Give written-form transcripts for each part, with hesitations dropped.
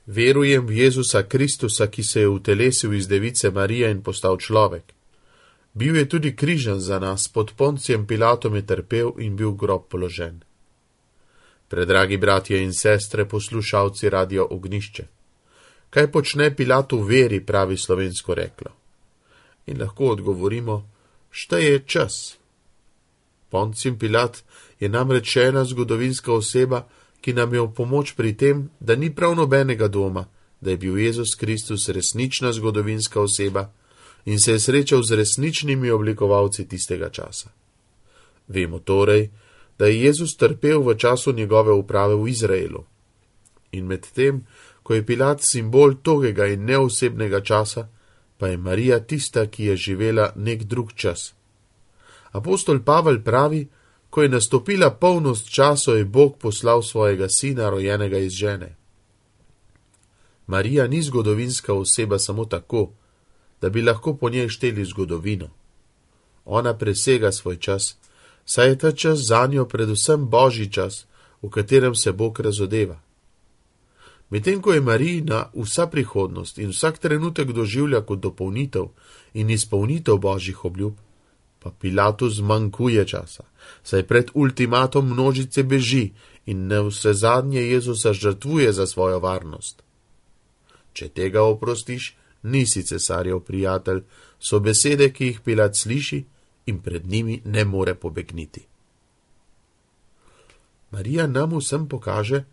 Verujem v Jezusa Kristusa, ki se je utelesil iz device Marije in postal človek. Bil je tudi križan za nas, pod Poncijem Pilatom je trpel in bil v grob položen. Predragi bratje in sestre, poslušalci Radia Ognjišče, kaj počne Pilat v veri, pravi slovensko reklo? In lahko odgovorimo, šteje čas. Poncij Pilat je namreč še ena zgodovinska oseba, ki nam je v pomoč pri tem, da ni prav nobenega dvoma, da je bil Jezus Kristus resnična zgodovinska oseba in se je srečal z resničnimi oblikovalci tistega časa. Vemo torej, da je Jezus trpel v času njegove uprave v Izraelu. In med tem, ko je Pilat simbol togega in neosebnega časa, pa je Marija tista, ki je živela nek drug čas. Apostol Pavel pravi, ko je nastopila polnost časa, je Bog poslal svojega sina, rojenega iz žene. Marija ni zgodovinska oseba samo tako, da bi lahko po njej šteli zgodovino. Ona presega svoj čas, saj je ta čas zanjo predvsem božji čas, v katerem se Bog razodeva. Medtem ko je Marijina vsa prihodnost in vsak trenutek doživlja kot dopolnitev in izpolnitev božjih obljub, pa Pilatu zmanjkuje časa, saj pred ultimatom množice beži in navsezadnje Jezusa žrtvuje za svojo varnost. Če tega oprostiš, nisi cesarjev prijatelj, so besede, ki jih Pilat sliši in pred njimi ne more pobegniti. Marija nam vsem pokaže,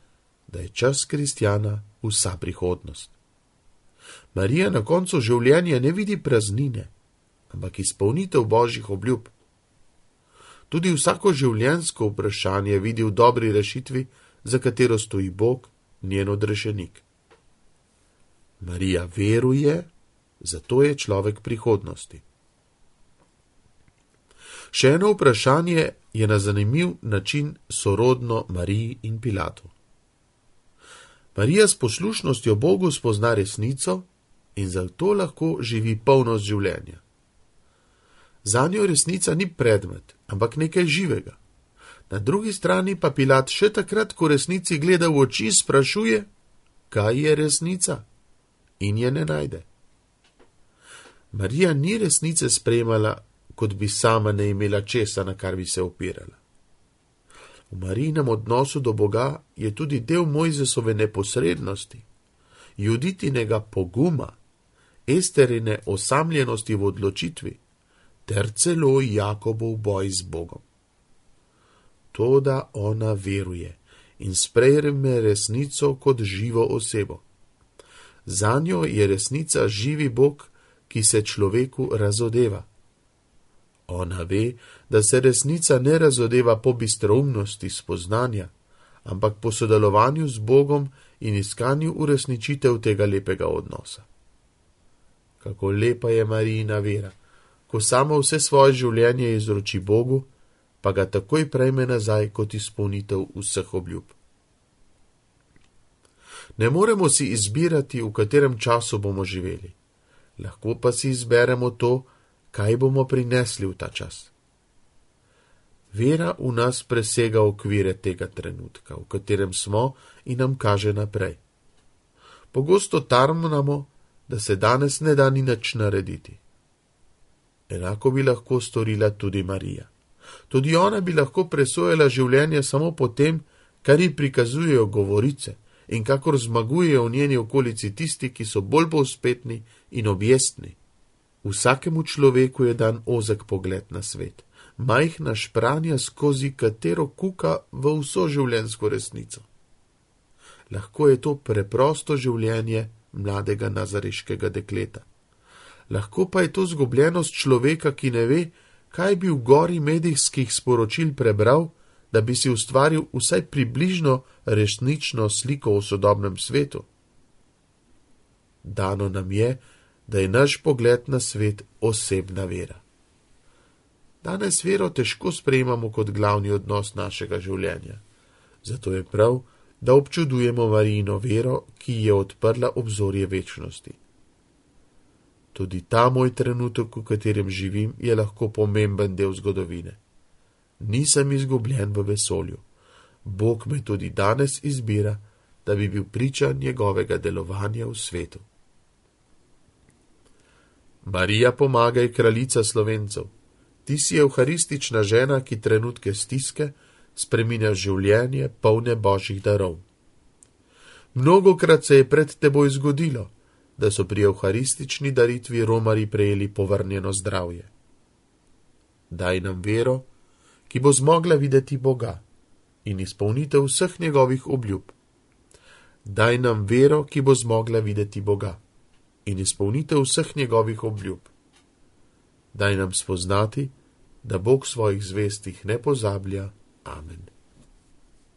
da je čas kristjana vsa prihodnost. Marija na koncu življenja ne vidi praznine, ampak izpolnitev božjih obljub. Tudi vsako življenjsko vprašanje vidi v dobri rešitvi, za katero stoji Bog, njen odrešenik. Marija veruje, zato je človek prihodnosti. Še eno vprašanje je na zanimiv način sorodno Mariji in Pilatu. Marija s poslušnostjo Bogu spozna resnico in zato lahko živi polnost življenja. Zanjo resnica ni predmet, ampak nekaj živega. Na drugi strani pa Pilat še takrat, ko resnici gleda v oči, sprašuje, kaj je resnica, in je ne najde. Marija ni resnice sprejemala, kot bi sama ne imela česa, na kar bi se opirala. V Marijinem odnosu do Boga je tudi del Mojzesove neposrednosti, Juditinega poguma, Esterine osamljenosti v odločitvi, ter celo Jakobov boj z Bogom. Toda ona veruje in sprejme resnico kot živo osebo. Zanjo je resnica živi Bog, ki se človeku razodeva. Ona ve, da se resnica ne razodeva po bistroumnosti spoznanja, ampak po sodelovanju z Bogom in iskanju uresničitev tega lepega odnosa. Kako lepa je Marijina vera, ko sama vse svoje življenje izroči Bogu, pa ga takoj prejme nazaj kot izpolnitev vseh obljub. Ne moremo si izbirati, v katerem času bomo živeli. Lahko pa si izberemo to, kaj bomo prinesli v ta čas. Vera v nas presega okvire tega trenutka, v katerem smo in nam kaže naprej. Pogosto tarnamo, da se danes ne da ni nič narediti. Enako bi lahko storila tudi Marija. Tudi ona bi lahko presojala življenje samo po tem, kar ji prikazujejo govorice in kakor zmagujejo v njeni okolici tisti, ki so bolj povzpetni in objestni. Vsakemu človeku je dan ozek pogled na svet, majhna špranja, skozi katero kuka v vso življenjsko resnico. Lahko je to preprosto življenje mladega nazareškega dekleta. Lahko pa je to zgubljenost človeka, ki ne ve, kaj bi v gori medijskih sporočil prebral, da bi si ustvaril vsaj približno resnično sliko o sodobnem svetu. Dano nam je, da je naš pogled na svet osebna vera. Danes vero težko sprejemamo kot glavni odnos našega življenja. Zato je prav, da občudujemo Marijino vero, ki je odprla obzorje večnosti. Tudi ta moj trenutek, v katerem živim, je lahko pomemben del zgodovine. Nisem izgubljen v vesolju. Bog me tudi danes izbira, da bi bil priča njegovega delovanja v svetu. Marija, pomagaj, kraljica Slovencev. Ti si evharistična žena, ki trenutke stiske spreminja življenje polne božjih darov. Mnogokrat se je pred teboj zgodilo, da so pri evharistični daritvi romarji prejeli povrnjeno zdravje. Daj nam vero, ki bo zmogla videti Boga in izpolnitev vseh njegovih obljub. Daj nam vero, ki bo zmogla videti Boga in izpolnitev vseh njegovih obljub. Daj nam spoznati, da Bog svojih zvestih ne pozablja. Amen.